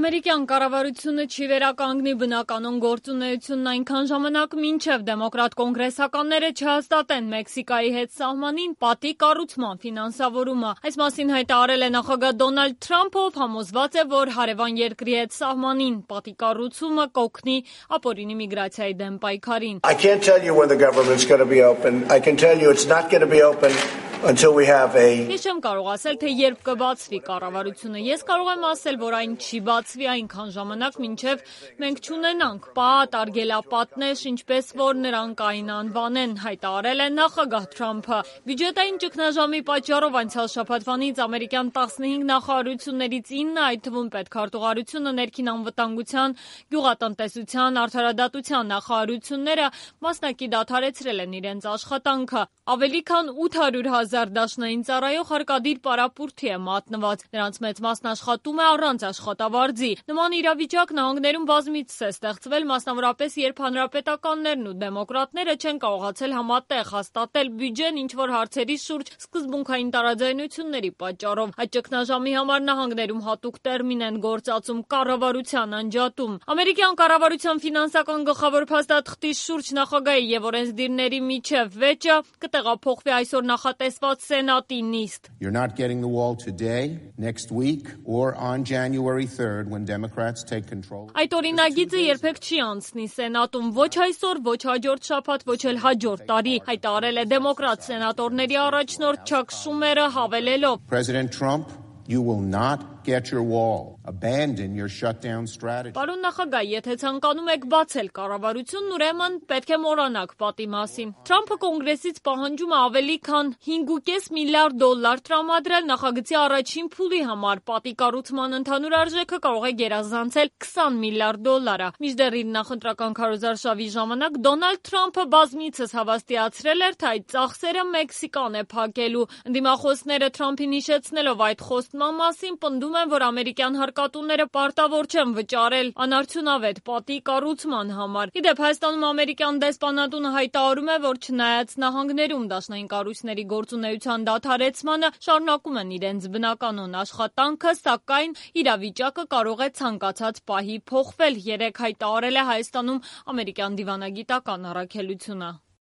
Ամերիկյան կառավարությունը չի վերականգնի բնականոն գործունեությունն այնքան ժամանակ, մինչև դեմոկրատ կոնգրեսականները չհաստատեն Մեքսիկայի հետ սահմանին պատի կառուցման ֆինանսավորումը։ Այս մասին հայտարարել է նախագահ Դոնալդ Թրամփը, ով համոզված է, որ հարևան երկրի հետ սահմանին պատի կառուցումը կօգնի ապօրինի միգրացիայի դեմ պայքարին։ I can't tell you when the government's going to be open. I can tell you it's not going to be open until we have a Ես չեմ կարող ասել, թե երբ կբացվի կառավարությունը։ Ես կարող եմ ասել, որ այն չի բացվի այնքան ժամանակ, մինչև մենք չունենանք պատ, արգելապատներ, ինչպես որ նրանք այն անվանեն, հայտարարել է նախագահ Թրամփը։ Բյուջետային ճգնաժամի պատճառով անցյալ շաբաթվանից ամերիկյան 15 նախարարություններից 9, այդ թվում պետքարտուղարությունը, ներքին անվտանգության, գյուղատնտեսության, արդարադատության նախարարությունները մասնակի դադարեցրել են իրենց աշխատանքը։ Ավելի քան 800,000 դաշնային ծառայող հարկադիր պարապուրդի է մատնված։ Նրանց մեծ մասն աշխատում է առանց աշխատավարձի։ Նման իրավիճակ նահանգներում բազմիցս է ստեղծվել, մասնավորապես երբ հանրապետականներն ու դեմոկրատները չեն կարողացել համատեղ հաստատել բյուջեն ինչ-որ հարցերի շուրջ սկզբունքային տարաձայնությունների պատճառով։ Այդ ճգնաժամի համար նահանգներում հատուկ տերմին են գործածում կառավարության անջատում։ Ամերիկյան կառավարության ֆինանսական գլխավոր փաստաթղթի շուրջ նախագահի եւ օրենսդիրների միջև վեճը կտեղափոխվի այսօր նախատեսված Սենատի նիստ։ You're not getting the wall today, next week, or on January 3rd when Democrats take control. Այդ օրինագիծը երբեք չի անցնի Սենատում, ոչ այսօր, ոչ հաջորդ շաբաթ, ոչ էլ հաջորդ տարի, հայտարարել է դեմոկրատ սենատորների առաջնորդ Չակ Շումերը, հավելելով. President Trump, you will not get your wall. Abandon your shutdown strategy. Պարոն նախագահ, եթե ցանկանում եք բացել կառավարությունն, ուրեմն պետք է մոռանաք պատի մասին։ Թրամփը կոնգրեսից պահանջում է ավելի քան $5.5 միլիարդ տրամադրել նախագծի առաջին փուլի համար։ Պատի կառուցման ընդհանուր արժեքը կարող է գերազանցել $20 միլիարդ։ Մինչդեռ իր նախընտրական քարոզարշավի ժամանակ Դոնալդ Թրամփը բազմիցս հավաստիացրել էր, թե այդ ծախսերը Մեքսիկան է փակելու։ Ընդդիմախոսները Թրամփին հիշեցնելով այդ խոստման մասին պնդում են, որ ամերիկյան հարկատուները պարտավոր չեն վճարել անարդյունավետ պատի կառուցման համար։ Իդեպ Հայաստանում ամերիկյան դեսպանատունը հայտարարում է, որ չնայած նահանգներում դաշնային կառույցների գործունեության դադարեցմանը շարունակում են իրենց բնականոն աշխատանքը, սակայն իրավիճակը կարող է ցանկացած պահի փոխվել։ Երեկ հայտարարել է Հայաստանում ամերիկյան դիվանագիտական առաքելությունը։